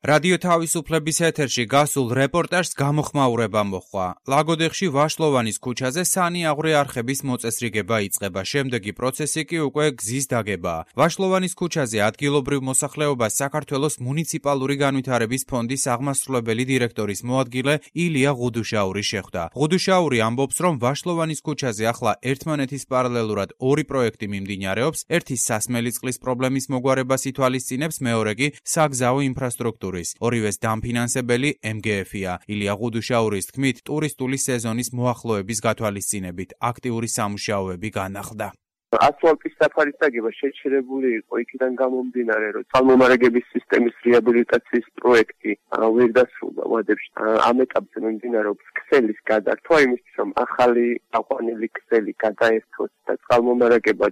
რადიო თავისუფლების ეთერში გასულ რეპორტაჟს გამოხმაურება მოჰყვა. ლაგოდეხში ვაშლოვანის ქუჩაზე სანიაღვრე არხების მოწესრიგება იწყება, შემდეგი პროცესი კი უკვე გზის დაგებაა. ვაშლოვანის ქუჩაზე ადგილობრივ მოსახლეობას საქართველოს მუნიციპალური განვითარების ფონდის აღმასრულებელი დირექტორის მოადგილე ილია ღუდუშაური შეხვდა. ღუდუშაური ამბობს, რომ ვაშლოვანის ქუჩაზე ახლა ერთმანეთის პარალელურად ორი პროექტი მიმდინარეობს, ერთი სასმელი წყლის პრობლემის მოგვარებას ითვალისწინებს, მეორე კი საგზაო ინფრასტრუქტურა. ორივეს დამფინანსებელი MGF-ია. ილია ღუდუშაურის თქმით, ტურისტული სეზონის მოახლოების გათვალისწინებით აქტიური სამუშაოები განახლდა. ასფალტის საფარის დაგება შეჩერებული იყო იქიდან გამომდინარე, რომ წყალმომარაგების სისტემის რეაბილიტაციის პროექტი ვერ დასრულდა ვადებში. ამ ეტაპზე მიმდინარეობს ქსელის გადართვა, იმისთვის რომ ახალი აყვანილი ქსელი გადაერთვას და წყალმომარაგება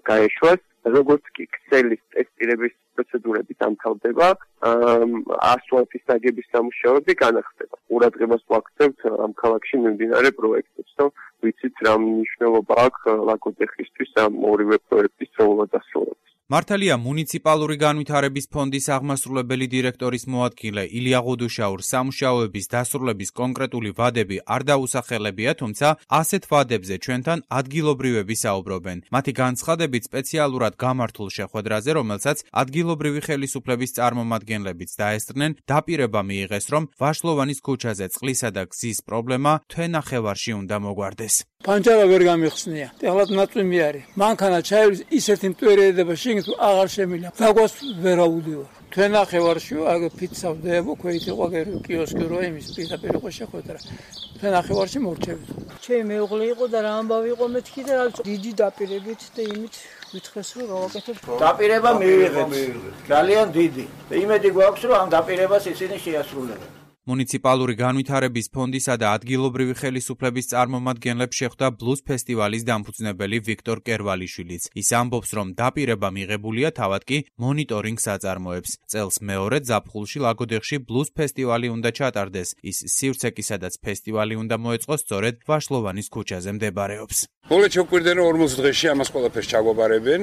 გაეშვას. როგორც კი ქსელის ტესტირების პროცედურები დამთავრდება, ასფალტის დაგების სამუშაოები განახდება. ყურადღებას ვაქცევთ ამ ქალაქში მიმდინარე პროექტებს, რომ ვიცით რა მნიშვნელობა აქვს ლაგოდეხისთვის ამ ორივე პროექტის სწორად დასრულებას. მართალია მუნიციპალური განვითარების ფონდის აღმასრულებელი დირექტორის მოადგილე ილია ღუდუშაურს სამუშაოების დასრულების კონკრეტული ვადები არ დაუსახელებია, თუმცა ასეთ ვადებზე ჩვენთან ადგილობრივები საუბრობენ. მათი განცხადებით სპეციალურად გამართულ შეხვედრაზე, რომელსაც ადგილობრივი ხელისუფლების წარმომადგენლებიც დაესწრნენ, დაპირება მიიღეს, რომ ვაშლოვანის ქუჩაზე წყლისა და გზის პრობლემა თვენახევარში უნდა მოგვარდეს. პანჯარა ვერ გამიხსნია. ეხლა ნაწვიმი არის. მანქანა ჩაივლის ისეთი მტვერედება შეგეთ აღარ შემიძლია. დაგვას ვერ აუდივარ. თვენახევარში აგ ფიცავდებო ქვით იყო კიოსკი რო იმის პირდაპირ იყო შეხვედრა. თვენახევარში მორჩებით. ჩემი მეუღლე იყო და რა ამბავი იყო მეთქი და დიდი დაპირებით და იმით ვითხრეს რომ გავაკეთებ. დაპირება მივიღეთ. ძალიან დიდი. იმედი გვაქვს რომ ამ დაპირებას ისინი შეასრულებენ. მუნიციპალური განვითარების ფონდისა და ადგილობრივი ხელისუფლების წარმომადგენლებს შეხვდა ბლუზ ფესტივალის დამფუძნებელი ვიქტორ კერვალიშვილიც. ის ამბობს, რომ დაპირება მიღებულია, თავად კი მონიტორინგს აწარმოებს. წელს მეორე ზაფხულში ლაგოდეხში ბლუზ ფესტივალი უნდა ჩატარდეს. ის სივრცე, სადაც ფესტივალი უნდა მოეწყოს, სწორედ ვაშლოვანის ქუჩაზე მდებარეობს. მოლე ჩოკვირდნენ 40 დღეში ამას ყველაფერს ჩაგვაბარებენ,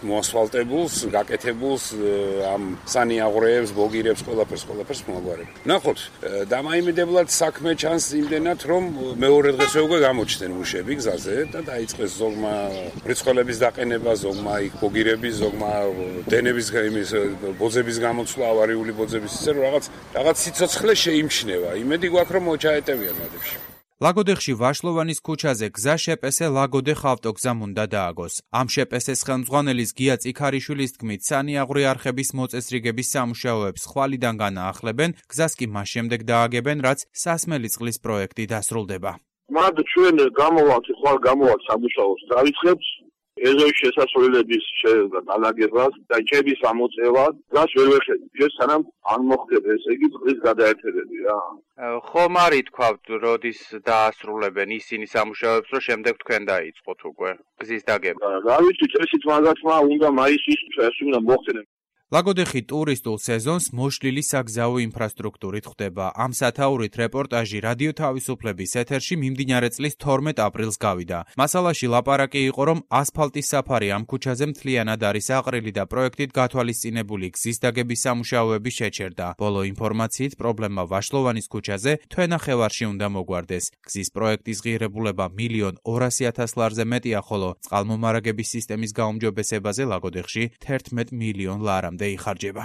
მოასფალტებულს, გაკეთებულს, ამ სანიაღვრეებს, ბოგირებს, ყველაფერს მოაგვარებენ. ნახოთ, დამაიმედებლად საქმე ჩანს იმდენად, რომ მეორე დღესვე უკვე გამოჩნდნენ მუშები გზაზე და დაიწყეს ზოგმა მრიცხველების დაყენება, ზოგმა იქ ბოგირების, ზოგმა დენების ბოძების გამოცვლა, ავარიული ბოძების, ისე რომ რაღაც სიცოცხლე შეიმჩნევა. იმედი გვაქვს, რომ მოჩაეტევიან მადებში. ლაგოდეხში ვაშლოვანის ქუჩაზე გზა შეპესე ლაგოდეხ ავტოგზამ უნდა დააგოს. ამ შეპესეს ხელმძღვანელის გია წიქარიშვილის თქმით, სანიაღვრე არხების მოწესრიგების სამუშაოებს ხვალიდან განაახლებენ, გზას კი მას შემდეგ დააგებენ, რაც სასმელი წყლის პროექტი დასრულდება. მათ ჩვენ გამოვალთ სამუშაოს დავიწყებთ ეზოის შესასვლელების განლაგებას და ჭების ამოწევას, რაც ვერ ვეხედავ. ჩვენ სანამ არ მოხდება, ესე იგი წყლის გადაერთებები რა. ხომ არ ითქვათ, როდის დაასრულებენ ისინი სამუშაოებს, რომ შემდეგ თქვენ დაიწყოთ უკვე გზის დაგება. რა ვიცი, წესით მაგათმა უნდა მაისის წესი უნდა მოხდენენ. ლაგოდეხი ტურისტულ სეზონს მოშლილი საგზაო ინფრასტრუქტურით ხვდება. ამ სათაურით რეპორტაჟი რადიო თავისუფლების ეთერში მიმდინარე წლის 12 აპრილს გავიდა. მასალაში ლაპარაკი იყო, რომ ასფალტის საფარი ამ ქუჩაზე მთლიანად არის აყრილი და პროექტით გათვალისწინებული გზის დაგების სამუშაოები შეჩერდა. ბოლო ინფორმაციით პრობლემა ვაშლოვანის ქუჩაზე თვენახევარში უნდა მოგვარდეს. გზის პროექტის ღირებულება 1.200.000 ლარზე მეტია, ხოლო წყალმომარაგების სისტემის გაუმჯობესებაზე ლაგოდეხში 11 მილიონ ლარამდე იხარჯება.